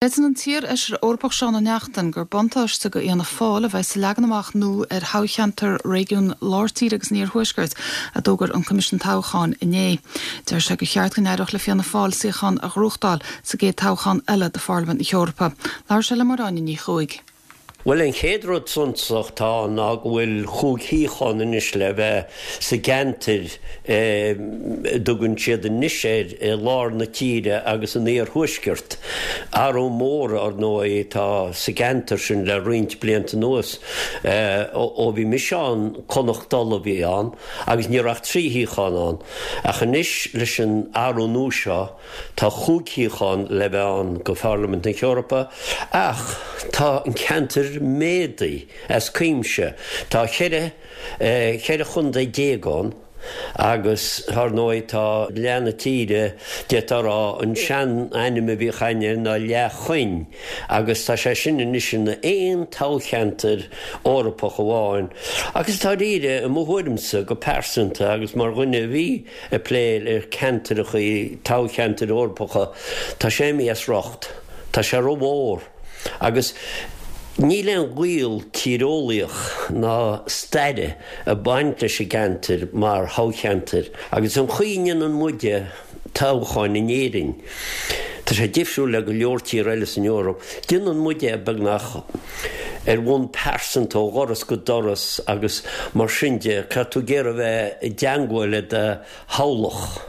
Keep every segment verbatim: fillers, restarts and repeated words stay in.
Creideann an t-iar-fheisire Eorpach Seán Ó Neachtain gur buntáiste go Fhianna Fáil a bheidh sa leagan amach nua ar thoghcheantar réigiún Lár Tíre agus an Iarthuaiscirt a d'fhógair an Coimisiún Toghcháin inné. Deir sé gur cheart go n-éireodh le Fianna Fáil suíochán a ghnóthachtáil sa gcéad toghchán eile do Pharlaimint na hEorpa. Labhair sé le Máire Áine Ní Chuaig. Bhuel an chéad rud suntasach tá ná go bhfuil chúig shuíochán anois le bheith sa gceantar a dtugann siad anois air i lár na tíre agus an iarthuaisceart. Athrú mór ar ndóigh atá sa gceantar sin le roinnt blianta anuas ó bhí mise ann Connacht Uladh a bhí ann agus ní raibh ach trí shuíochán ann. Ach anois leis an athrú nua seo tá chúig shuíochán le bheith ann go Pharlaimint na hEorpa ach tá an ceantar méadaithe as cuimse. Tá ceithre ceithre chontae déag ann agus ar ndóigh tá leath na tíre d'fhéadfá a rá an sean-ainm a bhíodh air ná Leath Choinn agus tá sé sin anois ina aon toghcheantar Eorpach amháin agus dáiríre i mo thuairimse go pearsanta agus mar dhuine a bhí ag plé le ceantracha toghcheantair Eorpacha tá sé imithe as riocht tá sé rómhór agus níl aon ghaol tíreolaíoch ná staire ag baint leis an gceantar mar thoghcheantar agus an chaoi a ndéanann muide toghcháin in Éirinn. Tá sé difriúil le go leor tír eile san Eoraip, déanann muide beagnach ar bhonn pearsanta ó dhoras go doras agus mar sin de caithfidh tú ag iarraidh a bheith i dteangmháil le do thoghlach.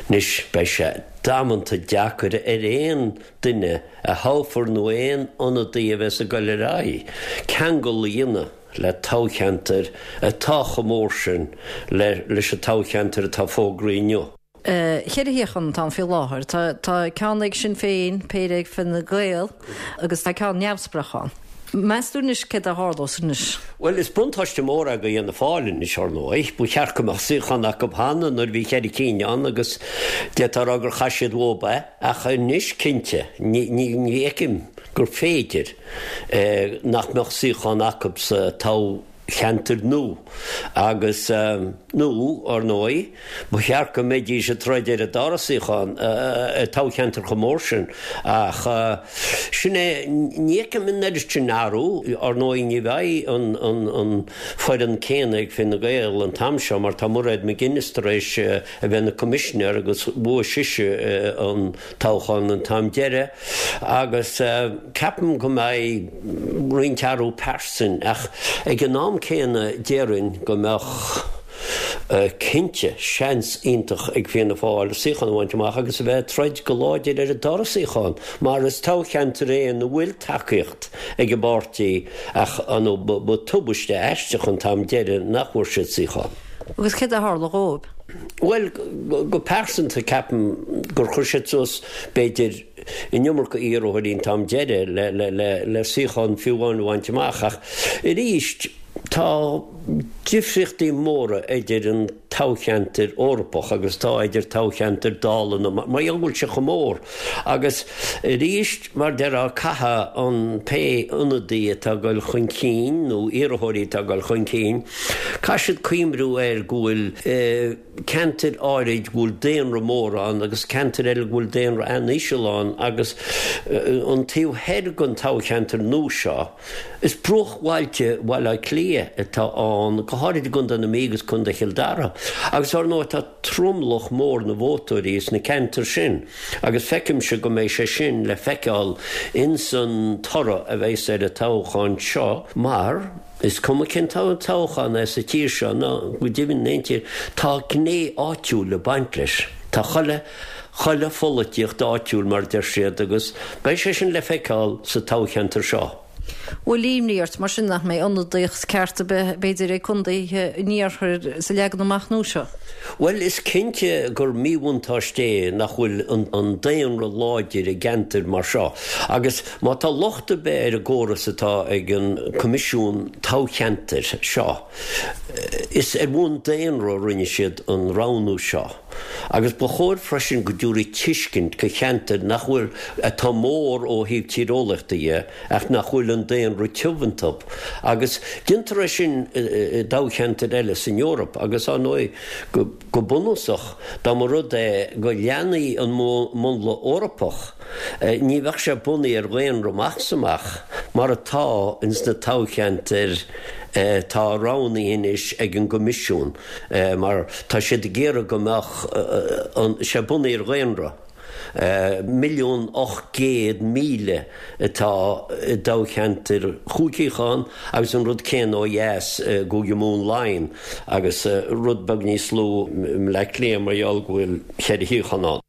Anois beidh sé damanta deacair ar aon duine a thoghfar nó aon ionadaí a bheas ag dul ar aghaidh ceangal a dhéanamh le toghcheantar atá chomh mór sin leis an toghcheantar atá fógraithe inniu. Ceithre shuíochán atá ann faoi láthair. Tá tá ceann ag Sinn Féin, péire ag Fine Gael agus tá ceann neamhspleách ann. Meas tú anois céard a tharlós anois? Bhuel is buntáiste mór é go Fhianna Fáil anois ar ndóigh. Ba cheart go mbeadh suíochán acu cheana nuair a bhí ceithre cinn ann agus d'fhéadfá a rá gur chaith siad uathu é ach anois cinnte ní ní ní fheicim gur féidir nach mbeadh suíochán acu sa toghcheantar nua agus nó ar ndóigh ba cheart go mbeidís ag troid ar an dara suíochán i toghcheantar chomh mór sin ach sin é ní fheicim an oiread sin athrú ar ndóigh ní bheidh an an an foireann céanna ag Fine Gael an t-am seo mar tá Mairéad McGuinness tar éis a bheith ina coimisinéir agus bhuaigh sise an toghchán an t-am deiridh agus ceapaim go mbeidh roinnt athrú pearsan ach ag an am céanna déarfainn go mbeadh cinnte seans iontach ag Fianna Fáil suíochán a bhaint amach agus a bheith ag troid go láidir ar an dara suíochán mar is toghcheantar é ina bhfuil tacaíocht ag an bpáirtí ach an ba tubaiste aisteach an t-am deiridh nach bhfuair siad suíochán. Agus céard a tharla dhóibh? Bhuel go pearsanta ceapaim gur chuir siad suas b'fhéidir an iomarca iarrthóirí an t-am deiridh le le le le suíochán fiú amháin a bhaint amach ach arís tá difríochtaí móra idir an toghcheantar Eorpach agus tá idir toghcheantar Dála na mar gheall go bhfuil sé chomh mór agus arís mar déarfá caithfidh an pé ionadaí atá ag dul chun cinn nó iarrthóirí atá ag dul chun cinn caithfidh siad cuimhniú air go bhfuil ceantair áirid go bhfuil daonra mór ann agus ceantair eile go bhfuil daonra an-íseal ann agus an taobh thoir den toghcheantar nua seo is bruachbhailte Bhaile Átha Cliath atá ann go háirid i gContae na Mí agus Contae Chill Dara agus ar ndóigh tá tromlach mór na vótóirí sna ceantair sin agus feicimse go mbeidh sé sin le feiceáil ins an toradh a bheas ar an toghchán seo mar is cuma cén toghchán é sa tír seo ná go deimhin in aon tír tá gné áitiúil ag baint leis. Tá chuile chuile pholaitíocht áitiúil mar deir siad agus beidh sé sin le feiceáil sa toghcheantar seo. Bhfuil imní ort mar sin nach mbeidh ionadaíocht ceart ar bith b'fhéidir ag contaetha an iarthair sa leagan amach nua seo? Bhuel is cinnte gur míbhuntáiste é nach bhfuil an an daonra láidir i gceantair mar seo agus má tá locht ar bith ar an gcóras atá ag an Coimisiún Toghcheantair seo is ar bhonn daonra a rinne siad an roghnú seo. Agus ba chóir freisin go dtabharfaí tuiscint go cheantair nach bhfuil, atá mór ó thaobh tíreolaíochta dhe, ach nach bhfuil an daonra tiubh iontu. Agus déantar é sin i dtoghcheantair eile san Eoraip agus, ar ndóigh, go bunúsach, dá mba rud é go leanfaí an múnla Eorpach, ní bheadh sé bunaithe ar dhaonra amach is amach, mar atá ins na toghcheantair atá roghnaithe anois ag an gCoimisiún, mar tá siad ag iarraidh go mbeadh sé bunaithe ar dhaonra. Milliún ocht gcéad míle atá i dtoghcheantar chúig shuíochán agus an rud céanna ó dheas i gCúige Mumhan Laighean agus rud beag níos lú i mBleá Cliath mar gheall go bhfuil ceithre shuíochán ann.